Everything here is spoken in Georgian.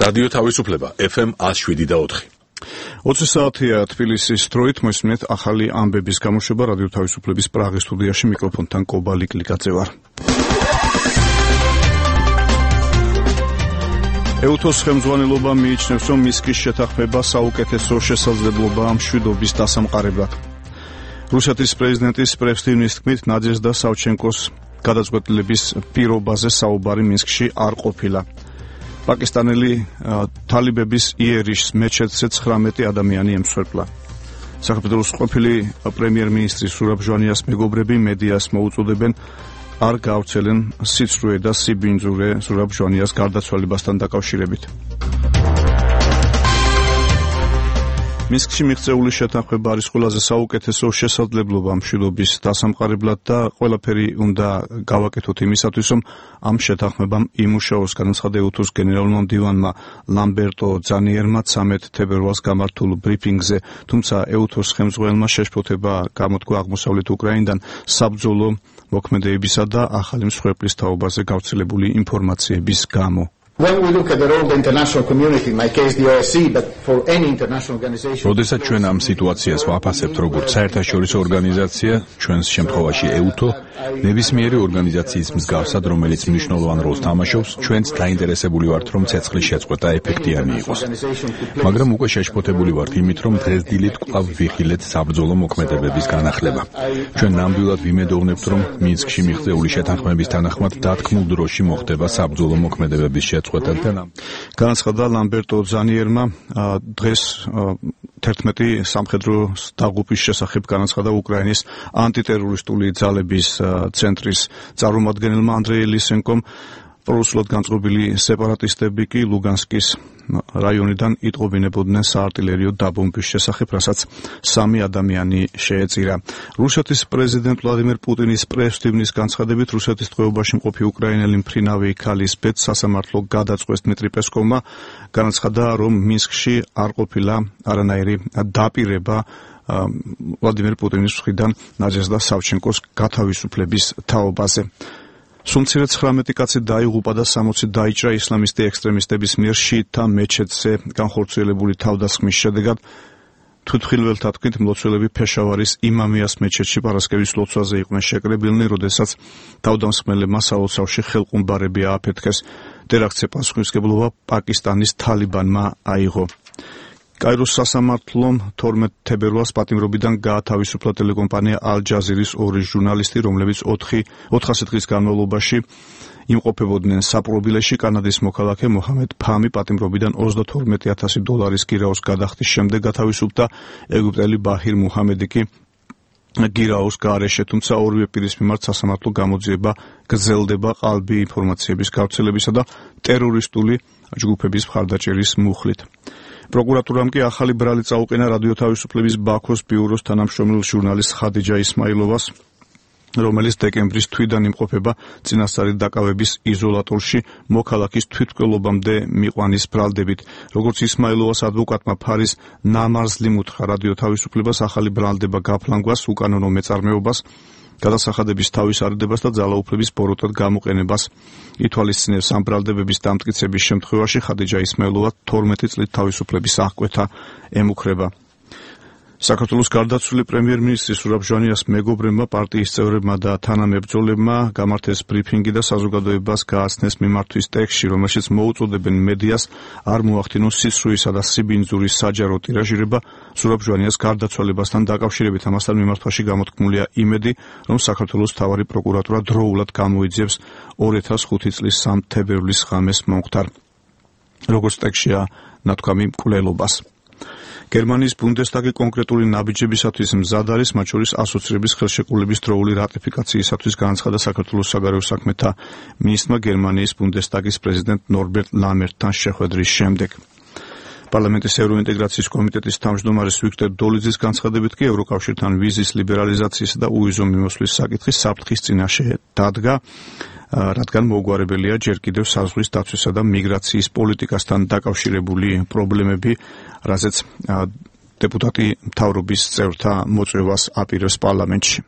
რადიო თავისუფლება FM 107.4. 20 საათია თბილისის დროით მოსმენთ ახალი ამბების გამოშვება რადიო თავისუფლების პრაღის სტუდიაში მიკროფონთან კობალი კლიკაძე ვარ. ეუთოს ხელმძღვანელობა მიიჩნევს, რომ მისკის შეთანხმება საუკეთესო შესაძლებლობაა მშვიდობის დასამყარებლად. რუსეთის პრეზიდენტის პრევსტინის თქმით, ნადეჟდა სავჩენკოს გადაწყვეტილების პირობაზე საუბარი მინსკში არ ყოფილა. პაკისტანელი თალიბების იერიშს მეჩეთზე 19 ადამიანი ემსხვერპლა. საქართველოს ყოფილი პრემიერ-მინისტრის სურაბ ჟვანიას მეგობრები მედიას მოუწოდებენ არ გავრცელენ სიცრუე და სიბინძურე სურაბ ჟვანიას გარდაცვალებასთან დაკავშირებით. მინსკში მიღწეული შეთანხმება არის ყველაზე საუკეთესო შესაძლებლობა მშვიდობის დასამყარებლად და ყველაფერი უნდა გავაკეთოთ იმისათვის, რომ ამ შეთანხმებამ იმუშაოს, განაცხადა ეუთოს გენერალურმა მდივანმა ლამბერტო ძანიერმა 13 თებერვალს გამართულ ბრიფინგზე, თუმცა ეუთოს ხელმძღვანელმა შეშფოთება გამოთქვა აღმოსავლეთ უკრაინიდან საბრძოლო მოქმედებისა და ახალი მსხვერპლის თაობაზე გავრცელებული ინფორმაციების გამო. When we look at the role of the international community, in my case the OSCE, but for any international organization. როდესაც ჩვენ ამ სიტუაციას ვაფასებთ როგორც საერთაშორისო ორგანიზაცია, ჩვენს შემთხვევაში ეუთო, ნებისმიერი ორგანიზაციის მსგავსად, რომელიც მნიშვნელოვან როლს თამაშობს, ჩვენც დაინტერესებული ვართ, რომ ცეცხლის შეწყვეტა ეფექტიანი იყოს. მაგრამ უკვე შეშფოთებული ვართ იმით, რომ დღესდილით კვლავ ვიხილეთ საბრძოლო მოქმედებების განახლება. ჩვენ ნამდვილად ვიმედოვნებთ, რომ მინსკში მიღწეული შეთანხმების თანახმად დათქმულ დროში მოხდება საბრძოლო მოქმედებების შეწყვეტა. განაცხადა ლამბერტო ძანიერმა დღეს 11 სამხედრო დაღუპვის შესახებ განაცხადა უკრაინის ანტიტერორისტული ძალების ცენტრის წარმომადგენელმა ანდრეი ლისენკომ. პრორუსულად განწყობილი სეპარატისტები კი ლუგანსკის რაიონიდან იტყობინებოდნენ საარტილერიო დაბომბვის შესახებ, რასაც 3 ადამიანი შეეწირა. რუსეთის პრეზიდენტ ვლადიმერ პუტინის პრესტივნის განცხადებით, რუსეთის ტყვეობაში მყოფი უკრაინელი მფრინავი ქალის ბედს სასამართლო გადაწყვეტს დმიტრი პესკოვმა. განაცხადა, რომ მინსკში არ ყოფილა არანაირი დაპირება ვლადიმერ პუტინის მხრიდან ნადეჟდა სავჩენკოს გათავისუფლების თაობაზე. სულ 19 კაცი დაიღუპა და 60 დაიჭრა ისლამისტი ექსტრემისტების მიერ შიიტთა მეჩეთზე განხორციელებული თავდასხმის შედეგად. თვითმხილველთა თქმით, მლოცველები ფეშავარის იმამიას მეჩეთში პარასკევის ლოცვაზე იყვნენ შეკრებილნი, როდესაც თავდამსხმელებმა სალოცავში ხელყუმბარები ააფეთქეს. ტერაქტზე პასუხისმგებლობა პაკისტანის თალიბანმა აიღო. კაიროს სასამართლომ 12 თებერვალს პატიმრობიდან გაათავისუფლა ტელეკომპანია ალ-ჯაზირის 2 ჟურნალისტი, რომლებიც 400 დღის განმავლობაში იმყოფებოდნენ საპყრობილეში. კანადის მოქალაქე მოჰამედ ფამი პატიმრობიდან $32,000 გირაოს გადახდის შემდეგ გათავისუფლდა. ეგვიპტელი ბაჰირ მუჰამედი კი გირაოს გარეშე, თუმცა ორივე პირის მიმართ სასამართლო გამოძიება გრძელდება ყალბი ინფორმაციების გავრცელებისა და ტერორისტული ჯგუფების მხარდაჭერის მუხლით. პროკურატურამ კი ახალი ბრალი წაუყენა რადიო თავისუფლების ბაქოს ბიუროს თანამშრომელ ჟურნალისტ ხადიჯა ისმაილოვას, რომელიც დეკემბრის თვიდან იმყოფება წინასწარი დაკავების იზოლატორში მოქალაქის თვითმკვლელობამდე მიყვანის ბრალდებით. როგორც ისმაილოვას ადვოკატმა ფარის ნამარზლიმ უთხრა რადიო თავისუფლებას ახალი ბრალდება გაფლანგვას, უკანონო მეწარმეობას, გადასახადების თავისარდებას და ძალაუფლების ბოროტად გამოყენებას. ითვალისწინებს ამ ბრალდებების დამტკიცების შემთხვევაში ხადიჯა ისმაილოვა 12 წლით თავისუფლების აღკვეთა ემუქრება. საქართველოს გარდაცვლილი პრემიერ-მინისტრი სურაბ ჟვანიას მეგობრებმა, პარტიის წევრებმა და თანამებრძოლებმა გამართეს ბრიფინგი და საზოგადოებას გააცნეს მიმართვის ტექსტში, რომელშიც მოუწოდებენ მედიას არ მოახდინოს სიცრუისა და სიბინძურის საჯარო ტირაჟირება სურაბ ჟვანიას გარდაცვალებასთან დაკავშირებით. ამასთან მიმართვაში გამოთქმულია იმედი, რომ საქართველოს მთავარი პროკურატურა დროულად გამოიძიებს 2005 წლის 3 თებერვლის ღამეს მომხდარ, როგორც ტექსტშია ნათქვამი, მკვლელობას. გერმანიის ბუნდესტაგი კონკრეტული ნაბიჯებისათვის მზად არის, მათ შორის ასოცირების ხელშეკრულების დროული რატიფიკაციისათვის, განაცხადა საქართველოს საგარეო საქმეთა მინისტრმა გერმანიის ბუნდესტაგის პრეზიდენტ ნორბერტ ლამერტთან შეხვედრის შემდეგ. პარლამენტის ევროინტეგრაციის კომიტეტის თავმჯდომარის ვიქტორ დოლიძის განცხადებით კი ევროკავშირთან ვიზის ლიბერალიზაციისა და უვიზო მიმოსვლის საკითხი საფრთხის წინაშე დადგა, რადგან მოუგვარებელია ჯერ კიდევ საზღვრის დაცვისა და მიგრაციის პოლიტიკასთან დაკავშირებული პრობლემები, რაზეც დეპუტატი მთავრობის წევრთა მოწვევას აპირებს პარლამენტში.